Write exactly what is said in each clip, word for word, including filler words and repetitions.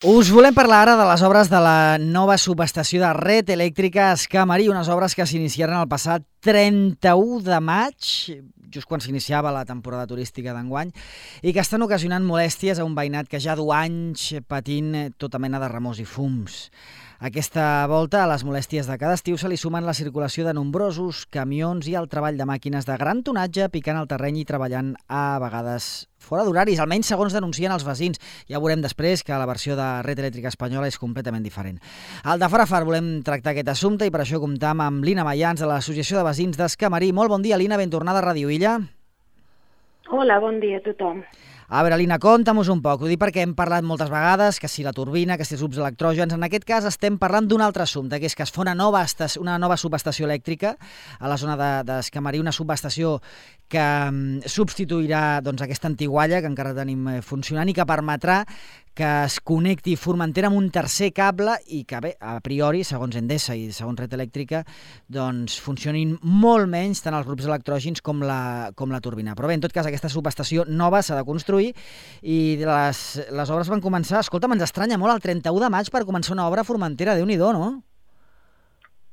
Us volem parlar ara de les obres de la nova subestació de Red Elèctrica a Escamarí, unes obres que s'iniciaren el passat trenta-u de maig, just quan s'iniciava la temporada turística d'enguany, i que estan ocasionant molèsties a un veïnat que ja du anys patint tota mena de remors i fums. Aquesta volta, a les molèsties de cada estiu se li sumen la circulació de nombrosos camions i el treball de màquines de gran tonatge picant el terreny i treballant a vegades fora d'horaris, almenys segons denuncien els veïns. Ja veurem després que la versió de Red Elèctrica espanyola és completament diferent. Al de fora far volem tractar aquest assumpte i per això comptam amb Lina Mayans de l'Associació de Veïns d'Escamarí. Molt bon dia, Lina, ben tornada a Ràdio Illa. Hola, bon dia a tothom. A veure, Lina, conta'm-us un poc. Ho dic perquè hem parlat moltes vegades que si la turbina, que si els grups electrògens. En aquest cas estem parlant d'un altre assumpte, que és que es fa una nova, una nova subestació elèctrica a la zona d'Escamarí, una subestació que um, substituirà doncs, aquesta antigualla que encara tenim funcionant i que permetrà que es connecti Formentera amb un tercer cable i que, bé, a priori, segons Endesa i segons Red Elèctrica, doncs funcionin molt menys tant els grups electrògens com la, com la turbina. Però bé, en tot cas, aquesta subestació nova s'ha de construir i les, les obres van començar... Escolta, ens estranya molt el trenta-u de maig per començar una obra a Formentera. Déu-n'hi-do, no?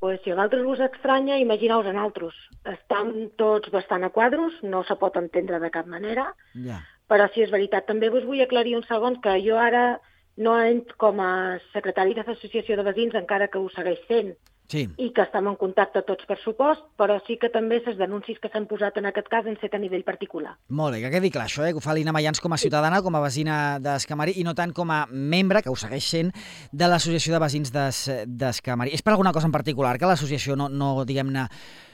Pues si a vosaltres us estranya, imagineu-vos en altres. Estan tots bastant a quadros, no se pot entendre de cap manera, ja. Però si és veritat, també us vull aclarir un segon que jo ara no entro com a secretari de l'Associació de Veïns, encara que ho segueix sent, sí. I que estem en contacte tots per supost, però sí que també les denúncies que s'han posat en aquest cas han set a nivell particular. Molt bé, que quedi clar això, eh? Que ho fa Lina Mayans com a ciutadana, com a veïna d'Escamarí i no tant com a membre, que ho segueix sent, de l'Associació de Veïns d'Escamarí. És per alguna cosa en particular que l'associació no, no diguem-ne,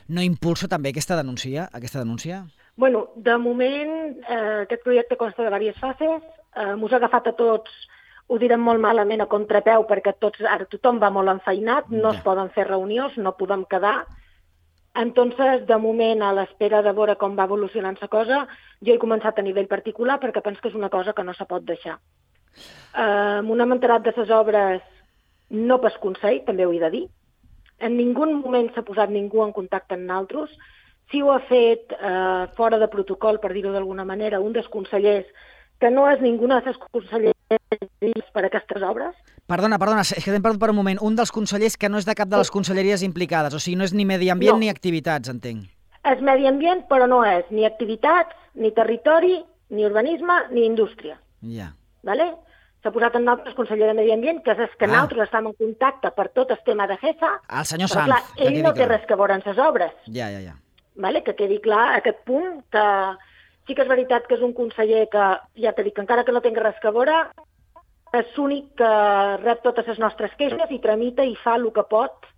no impulsa també aquesta denúncia? Aquesta denúncia? Bueno, de moment eh, aquest projecte consta de diverses fases, eh, m'us ha agafat a tots, ho direm molt malament a contrapeu perquè tots, ara tothom va molt enfeinat, no ja. Es poden fer reunions, no podem quedar. Entonces, de moment, a l'espera de veure com va evolucionant la cosa, jo he començat a nivell particular perquè penso que és una cosa que no se pot deixar. Eh, m'ho hem enterat de les obres no pas consell, també ho he de dir. En ningú moment s'ha posat ningú en contacte amb nosaltres. Si ho ha fet eh, fora de protocol, per dir-ho d'alguna manera, un dels consellers, que no és ningú dels consellers per a aquestes obres. Perdona, perdona, és que t'hem perdut per un moment. Un dels consellers que no és de cap de les conselleries implicades, o sigui, no és ni medi ambient no. ni activitats, entenc. És medi ambient, però no és ni activitats, ni territori, ni urbanisme, ni indústria. Ja. Vale? S'ha posat en nosaltres conseller de Medi Ambient, que és que ah. nosaltres estem en contacte per tot el tema de G E S A. El senyor però, Sanz. Clar, ell no té res que veure en les obres. Ja, ja, ja. Vale? Que quedi clar aquest punt, que sí que és veritat que és un conseller que, ja t'he dit, que encara que no tingui res que veure, és l'únic que rep totes les nostres queixes i tramita i fa el que pot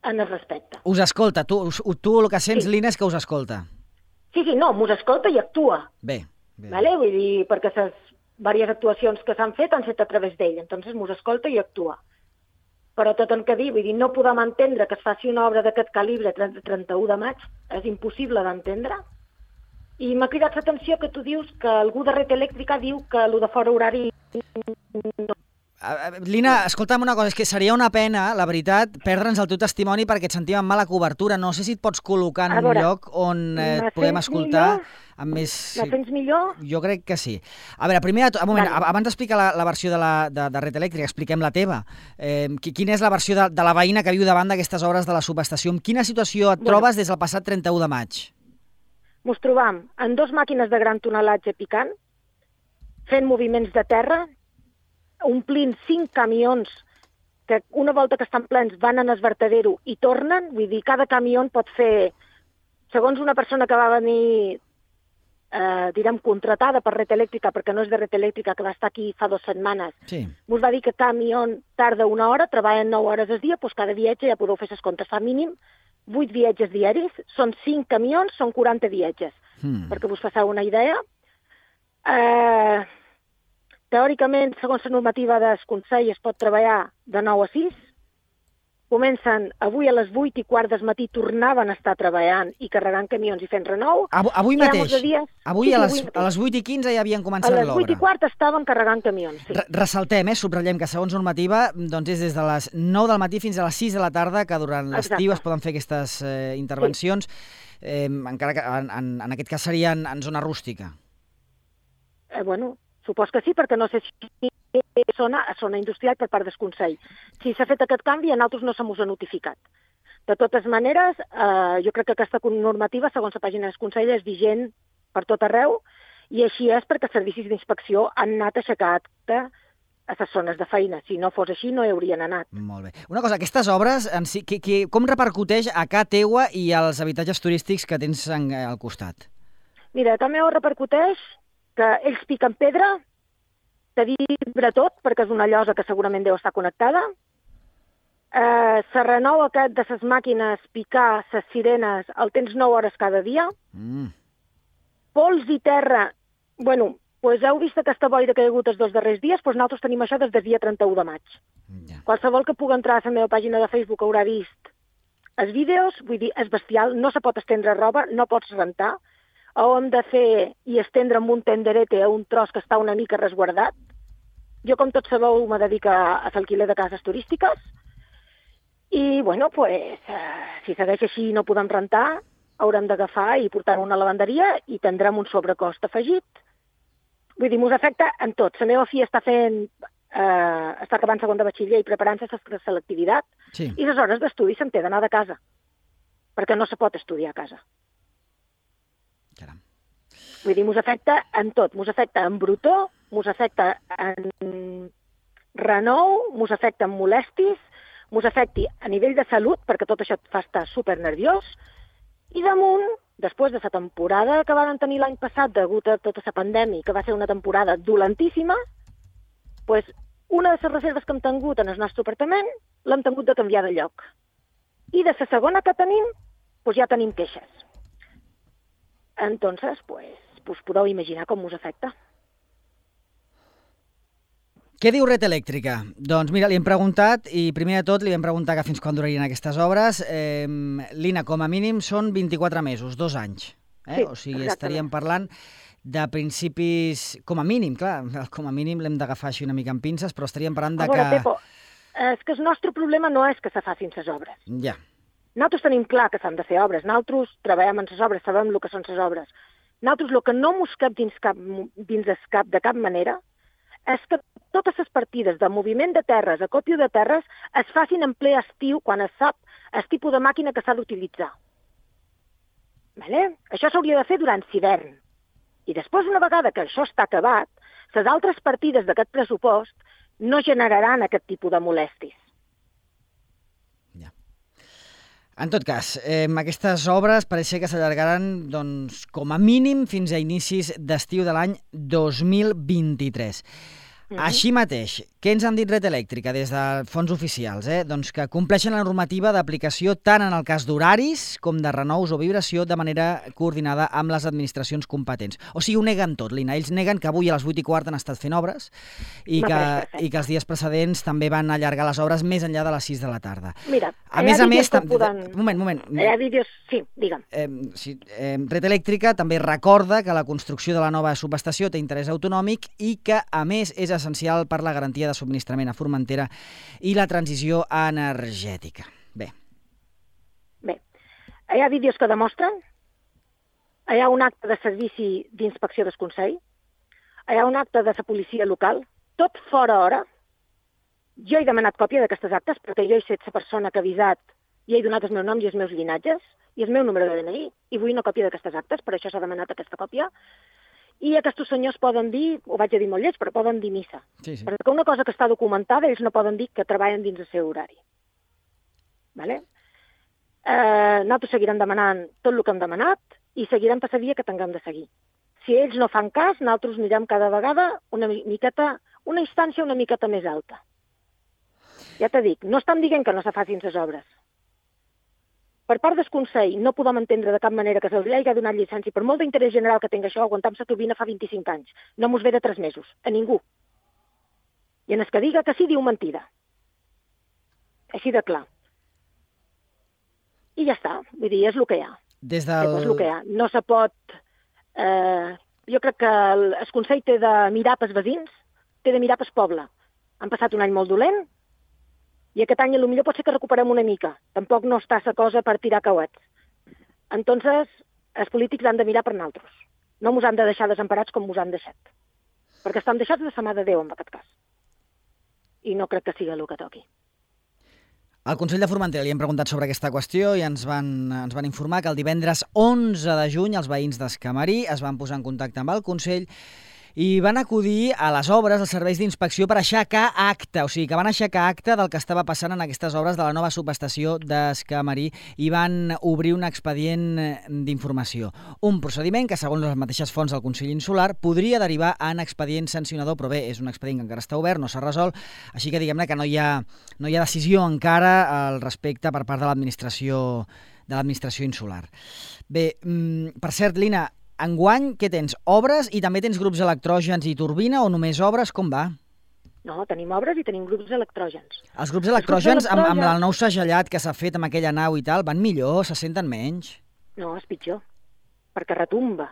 en el respecte. Us escolta, tu, tu el que sents, sí. Lina, és que us escolta. Sí, sí, no, m'us escolta i actua. Bé. bé. Vale? Vull dir, perquè les diverses actuacions que s'han fet han fet a través d'ell, entonces m'us escolta i actua. Però tot el que diu, vull dir, no podem entendre que es faci una obra d'aquest calibre trenta-u de maig, és impossible d'entendre. I m'ha cridat l'atenció que tu dius que algú de Red Elèctrica diu que el de fora horari... No. Lina, escolta'm una cosa, és que seria una pena, la veritat, perdre'ns el teu testimoni perquè et sentim amb mala cobertura. No sé si et pots col·locar en un lloc on eh, et podem escoltar amb més... Me sents millor? Jo crec que sí. A veure, primer, un moment, vale. Abans d'explicar la, la versió de, la, de, de Red Elèctrica, expliquem la teva. Eh, quina és la versió de, de la veïna que viu davant d'aquestes obres de la subestació? En quina situació et bueno. trobes des del passat trenta-u de maig? Mos trobam en dos màquines de gran tonelatge picant, fent moviments de terra, omplint cinc camions que una volta que estan plens van en el vertedero i tornen, vull dir, cada camió pot fer, segons una persona que va venir, eh, direm, contratada per Red Elèctrica, perquè no és de Red Elèctrica, que va estar aquí fa dues setmanes, sí. Us va dir que camió tarda una hora, treballen nou hores al dia, doncs cada viatge ja podeu fer les comptes, fa mínim vuit viatges diaris, són cinc camions, són quaranta viatges, hmm. perquè us fasseu una idea. Eh... Teòricament, segons la normativa del Consell, es pot treballar de nou a sis. Comencen avui a les vuit i quart del matí, tornaven a estar treballant i carregant camions i fent renou. Avui, avui mateix? Dies... Avui, sí, a, les, a les vuit i quinze ja havien començat l'obra. A les vuit i quart estaven carregant camions, sí. Ressaltem, eh, subratllem que segons normativa doncs és des de les nou del matí fins a les sis de la tarda que durant l'estiu es poden fer aquestes eh, intervencions, sí. eh, encara que en, en, en aquest cas seria en, en zona rústica. Eh, bueno... Supos que sí, perquè no sé si zona a zona industrial per part del Consell. Si s'ha fet aquest canvi, a nosaltres no se mos ha notificat. De totes maneres, eh, jo crec que aquesta normativa, segons la pàgina del Consell, és vigent per tot arreu, i així és perquè els servicis d'inspecció han anat a aixecar acte a les zones de feina. Si no fos així, no hi haurien anat. Molt bé. Una cosa, aquestes obres, en si, que, que, com repercuteix a casa teua i als habitatges turístics que tens en, al costat? Mira, a casa meva repercuteix que ells piquen pedra, te vibra tot, perquè és una llosa que segurament deu estar connectada. Eh, se renova aquest de les màquines picar, les sirenes, el tens nou hores cada dia. Mm. Pols i terra, bueno, pues heu vist aquesta boira que hi ha hagut els dos darrers dies, doncs nosaltres tenim això des del dia trenta-u de maig. Ja. Qualsevol que pugui entrar a la meva pàgina de Facebook haurà vist els vídeos, vull dir, és bestial, no se pot estendre roba, no pots rentar, ho hem de fer i estendre amb un tenderete a un tros que està una mica resguardat. Jo, com tots sabeu, me dedico a l'alquiler de cases turístiques i, bueno, pues, eh, si segueix així i no podem rentar, haurem d'agafar i portar una lavanderia i tindrem un sobrecost afegit. Vull dir, mos afecta en tot. La meva filla està fent, eh, està acabant segon de batxiller i preparant-se a la selectivitat, Sí. i les hores d'estudi se'n té d'anar de casa, perquè no se pot estudiar a casa. Caram. Vull dir, mos afecta en tot. Mos afecta en brutó, mos afecta en renou, mos afecta en molèsties, mos afecti a nivell de salut, perquè tot això et fa estar supernerviós, i damunt, després de la temporada que van tenir l'any passat degut a tota la pandèmia, que va ser una temporada dolentíssima, pues, una de les reserves que hem tingut en el nostre apartament l'hem tingut de canviar de lloc. I de la segona que tenim, pues, ja tenim queixes. Entonces, pues, pues podeu imaginar com us afecta. Què diu Red Elèctrica? Doncs mira, li hem preguntat, i primer de tot li vam preguntar que fins quan durarien aquestes obres. Eh, Lina, com a mínim són vint-i-quatre mesos, dos anys. Eh? Sí, o sigui, exactament. estaríem parlant de principis, com a mínim, clar, com a mínim l'hem d'agafar així una mica amb pinces, però estaríem parlant de A veure, que... Pepo, és que el nostre problema no és que se facin les obres. Ja. Nosaltres tenim clar que s'han de fer obres. Nosaltres treballem en les obres, sabem el que són les obres. Nosaltres el que no mos cap dins, cap, dins el cap de cap manera és que totes les partides de moviment de terres, acòpio de terres, es facin en ple estiu quan es sap el tipus de màquina que s'ha d'utilitzar. Vale? Això s'hauria de fer durant l'hivern. I després, una vegada que això està acabat, les altres partides d'aquest pressupost no generaran aquest tipus de molèsties. Ja. En tot cas, eh, aquestes obres pareix ser que s'allargaran doncs, com a mínim fins a inicis d'estiu de l'any dos mil vint-i-tres. Mm-hmm. Així mateix, què ens han dit Red Elèctrica des de fons oficials? Eh? Doncs que compleixen la normativa d'aplicació tant en el cas d'horaris com de renous o vibració de manera coordinada amb les administracions competents. O sigui, ho neguen tot, Lina. Ells neguen que avui a les vuit i quart han estat fent obres i que, i que els dies precedents també van allargar les obres més enllà de les sis de la tarda. Mira, a més a més... Tam... Poden... Moment, moment. Hi ha vídeos... Sí, digue'm. Eh, sí, eh, Red Elèctrica també recorda que la construcció de la nova subestació té interès autonòmic i que, a més, és essencial per la garantia de subministrament a Formentera i la transició energètica. Bé. Bé, hi ha vídeos que demostren, hi ha un acte de servici d'inspecció del Consell, hi ha un acte de la policia local, tot fora hora. Jo he demanat còpia d'aquestes actes perquè jo he set la persona que ha avisat i he donat el meu nom i els meus llinatges i el meu número de D N I i vull una còpia d'aquestes actes, per això s'ha demanat aquesta còpia. I aquests senyors poden dir, ho vaig a dir molt lleig, però poden dir missa. Sí, sí. Perquè una cosa que està documentada, ells no poden dir que treballen dins el seu horari. Vale? Eh, nosaltres seguirem demanant tot el que hem demanat i seguirem per la via que tinguem de seguir. Si ells no fan cas, nosaltres anirem cada vegada una miqueta, una instància una miqueta més alta. Ja t'he dit, no estan dient que no se facin les obres. Per part del Consell no podem entendre de cap manera que se'ls hagi donat llicència, per molt d'interès general que tingui això, aguantam la turbina fa vint-i-cinc anys. No mos ve de tres mesos, a ningú. I en el que diga que sí, diu mentida. Així de clar. I ja està, vull dir, és el que hi ha. Des del... És el que hi ha. No se pot... Eh, jo crec que el, el Consell té de mirar pels veïns, té de mirar pel poble. Han passat un any molt dolent, i aquest any potser pot ser que recuperem una mica. Tampoc no està la cosa per tirar cauets. Entonces, els polítics han de mirar per nosaltres. No mos han de deixar desemparats com mos han deixat. Perquè estan deixats de la mà de Déu, en aquest cas. i no crec que sigui el que toqui. Al Consell de Formentera li hem preguntat sobre aquesta qüestió i ens van, ens van informar que el divendres onze de juny els veïns d'Escamarí es van posar en contacte amb el Consell i van acudir a les obres dels serveis d'inspecció per aixecar acta, o sigui que van aixecar acta del que estava passant en aquestes obres de la nova subestació d'Escamarí i van obrir un expedient d'informació. Un procediment que, segons les mateixes fonts del Consell Insular, podria derivar en expedient sancionador, però bé, és un expedient que encara està obert, no s'ha resolt, així que diguem-ne que no hi ha, no hi ha decisió encara al respecte per part de l'administració de l'administració insular. Bé, per cert, Lina, enguany, què tens? Obres i també tens grups electrògens i turbina o només obres? Com va? No, tenim obres i tenim grups electrògens. Els grups electrògens, amb, amb el nou segellat que s'ha fet amb aquella nau i tal, van millor, se senten menys? No, és pitjor, perquè retumba.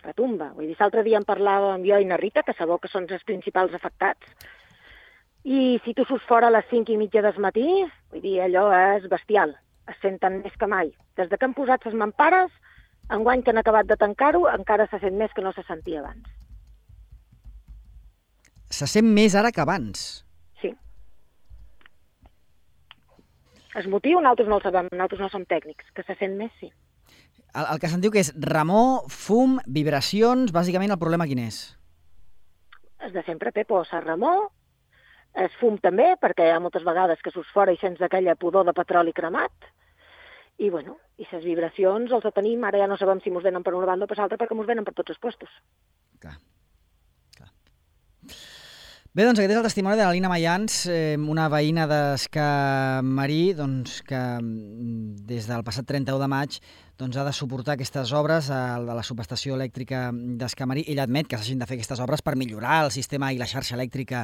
Retumba. Vull dir, l'altre dia en parlàvem jo i na Rita, que sabeu que són els principals afectats, i si tu surts fora a les cinc i mitja del matí, vull dir, allò és bestial, es senten més que mai. Des de que han posat les mampares, enguany que han acabat de tancar-ho, encara se sent més que no se sentia abans. Se sent més ara que abans? Sí. El motiu nosaltres no el sabem, nosaltres no som tècnics, que se sent més, sí. El, el que sentiu que és remor, fum, vibracions, bàsicament el problema quin és? És de sempre, Pepo, la remor, el fum també, perquè hi ha moltes vegades que surts fora i sents aquella pudor de petroli cremat, i, bueno, i les vibracions els tenim, ara ja no sabem si mos venen per una banda o per l'altra, perquè mos venen per tots els puestos. Clar, clar. Bé, doncs aquest és el testimoni de la Lina Mayans, eh, una veïna d'Escamarí, doncs, que des del passat trenta-u de maig doncs, ha de suportar aquestes obres a la subestació elèctrica d'Escamarí. Ella admet que s'hagin de fer aquestes obres per millorar el sistema i la xarxa elèctrica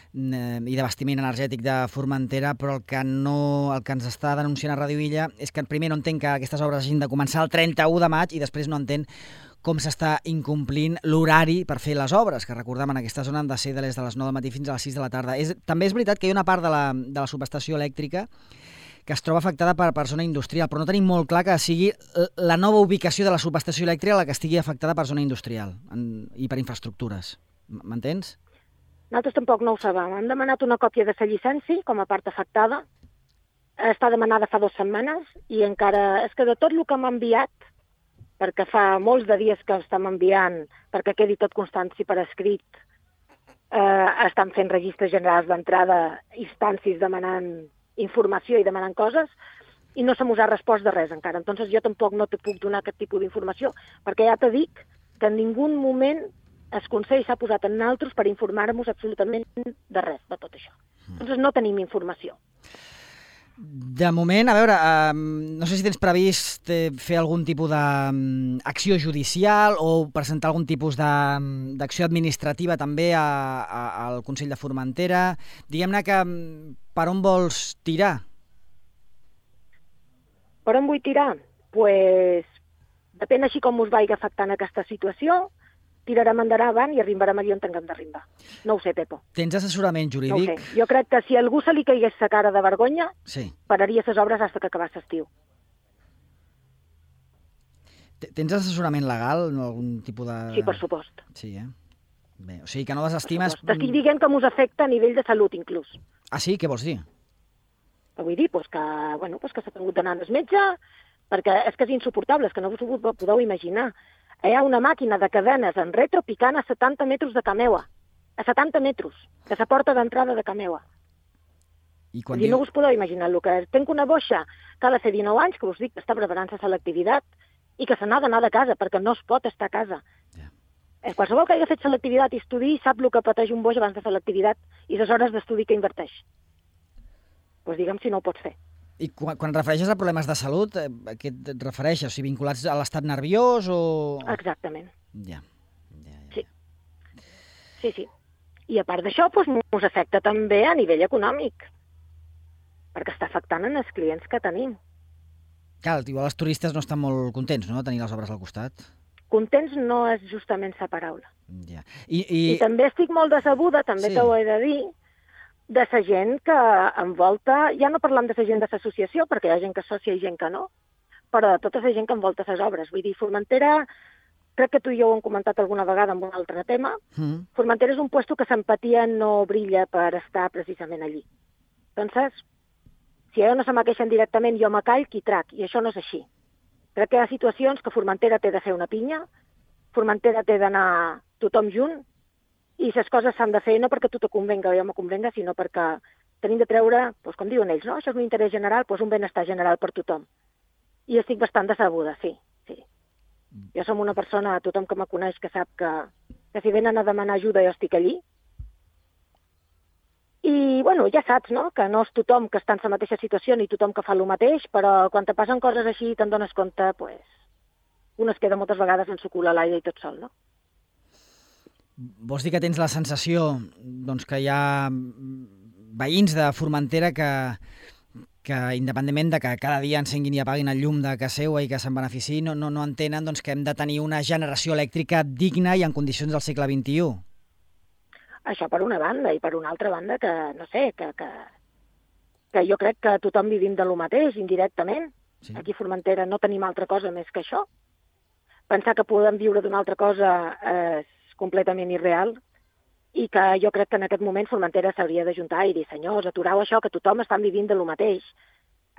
i d'abastiment energètic de Formentera, però el que, no, el que ens està denunciant a Ràdio Illa és que primer no entén que aquestes obres hagin de començar el trenta-u de maig i després no entén com s'està incomplint l'horari per fer les obres, que recordem en aquesta zona han de ser de les de les nou del matí fins a les sis de la tarda. És, també és veritat que hi ha una part de la, de la subestació elèctrica que es troba afectada per, per zona industrial, però no tenim molt clar que sigui la nova ubicació de la subestació elèctrica la que estigui afectada per zona industrial en, i per infraestructures. M'entens? Nosaltres tampoc no ho sabem. Hem demanat una còpia de la llicència com a part afectada. Està demanada fa dues setmanes i encara... És que de tot el que m'ha enviat, perquè fa molts de dies que estem enviant, perquè quedi tot constància per escrit, eh, estan fent registres generals d'entrada, instàncies demanant informació i demanant coses, i no se mos ha respost de res encara. Entonces jo tampoc no te puc donar aquest tipus d'informació, perquè ja te dic que en ningú moment el Consell s'ha posat en nosaltres per informar-nos absolutament de res, de tot això. Entonces no tenim informació. De moment, a veure, eh, no sé si tens previst eh, fer algun tipus d'acció judicial o presentar algun tipus d'acció administrativa també a, a, al Consell de Formentera. Diguem-ne que per on vols tirar? Per on vull tirar? Pues, depèn així com us vagi afectant aquesta situació, tirarem endavant i arribarem allà on tinguem d'arribar. No ho sé, Pepo. Tens assessorament jurídic? No ho sé. Jo crec que si algú se li caigués la cara de vergonya, sí, pararia les obres fins que acabés l'estiu. Tens assessorament legal? No, algun tipus de... Sí, per supost. Sí, eh? Bé, o sigui que no desestimes... T'estic dient que mos afecta a nivell de salut, inclús. Ah, sí? Què vols dir? Què vull dir? Pues que, bueno, pues que s'ha tingut d'anar al metge, perquè és que és insuportable, és que no us ho podeu imaginar. Hi ha una màquina de cadenes en retro picant a setanta metres de Cameua. A setanta metres, de la porta d'entrada de Cameua. I quan I diu... no us podeu imaginar el que és. Tenc una boixa que ha de fer dinou anys, que us dic que està preparant la selectivitat i que se n'ha d'anar de casa, perquè no es pot estar a casa. Yeah. Qualsevol que hagi fet selectivitat i estudi sap el que pateix un boix abans de fer l'activitat i les hores d'estudi que inverteix. Doncs pues digue'm si no ho pots fer. I quan, quan refereixes a problemes de salut, a què et refereixes? O sigui, vinculats a l'estat nerviós o...? Exactament. Ja. ja, ja. Sí. Sí, sí. I a part d'això, doncs, ens afecta també a nivell econòmic, perquè està afectant en els clients que tenim. Clar, igual els turistes no estan molt contents, no?, de tenir les obres al costat. Contents no és justament la paraula. Ja. I, i... I també estic molt decebuda, també sí. T'ho he de dir, de la gent que envolta, ja no parlam de la gent de l'associació, perquè hi ha gent que és sòcia i gent que no, però de tota la gent que envolta les obres. Vull dir, Formentera crec que tu i jo ho hem comentat alguna vegada amb un altre tema, Mm. Formentera és un puesto que s'empatia no brilla per estar precisament allí. Entonces, si a jo no se me queixen directament, jo me call qui trac, i això no és així. Crec que hi ha situacions que Formentera té de fer una pinya, Formentera té d'anar tothom junt, i les coses s'han de fer no perquè a tu te convenga o jo me convenga, sinó perquè tenim de treure, doncs, com diuen ells, no? Això és un interès general, doncs un benestar general per tothom. I estic bastant decebuda, sí, sí. Jo som una persona, tothom que me coneix que sap que, que si venen a demanar ajuda jo estic allí. I, bueno, ja saps, no?, que no és tothom que està en la mateixa situació ni tothom que fa el mateix, però quan te passen coses així te'n dones compte, pues, un es queda moltes vegades en su cul a l'aire i tot sol, no? Vols dir que tens la sensació doncs, que hi ha veïns de Formentera que, que independentment de que cada dia encenguin i apaguin el llum de casa seva i que se'n beneficiïn, no, no, no entenen doncs, que hem de tenir una generació elèctrica digna i en condicions del segle vint-i-u? Això per una banda, i per una altra banda que, no sé, que, que, que jo crec que tothom vivim de lo mateix, indirectament. Sí. Aquí a Formentera no tenim altra cosa més que això. Pensar que podem viure d'una altra cosa és completament irreal, i que jo crec que en aquest moment Formentera s'hauria d'ajuntar i dir, senyors, aturau això, que tothom està vivint de lo mateix.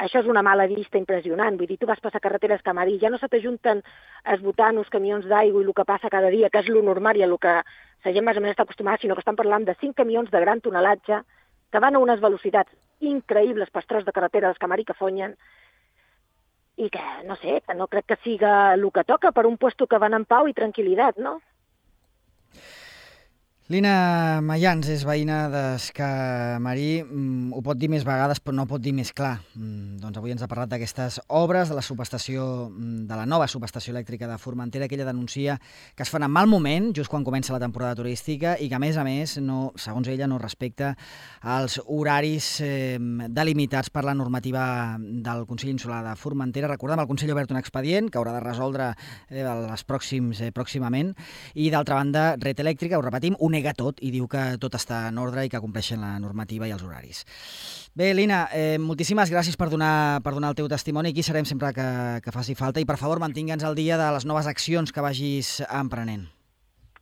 Això és una mala vista impressionant. Vull dir, tu vas passar carreteres Camarí, ja no se t'ajunten esbotant uns camions d'aigua i el que passa cada dia, que és lo normal i a lo que la gent més o menys està acostumada, sinó que estan parlant de cinc camions de gran tonelatge que van a unes velocitats increïbles per tros de carretera dels Camarí que fonyen, i que, no sé, que no crec que siga el que toca per un puesto que van en pau i tranquil·litat, no? Lina Mayans és veïna d'Escamarí. Mm, ho pot dir més vegades, però no ho pot dir més clar. Mm, doncs avui ens ha parlat d'aquestes obres de la subestació, de la nova subestació elèctrica de Formentera, que ella denuncia que es fan en mal moment, just quan comença la temporada turística, i que, a més a més, no, segons ella, no respecta els horaris eh, delimitats per la normativa del Consell Insular de Formentera. Recordem, el Consell ha obert un expedient que haurà de resoldre eh, els pròxims, eh, pròximament, i d'altra banda, Red Elèctrica, ho repetim, ho nega tot i diu que tot està en ordre i que compleixen la normativa i els horaris. Bé, Lina, eh, moltíssimes gràcies per donar, per donar el teu testimoni. Aquí serem sempre que, que faci falta i, per favor, mantingue'ns al dia de les noves accions que vagis emprenent.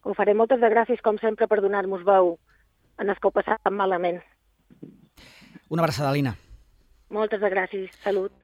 Ho faré. Moltes de gràcies, com sempre, per donar-nos veu en els que ho passat tan malament. Una abraçada, Lina. Moltes de gràcies. Salut.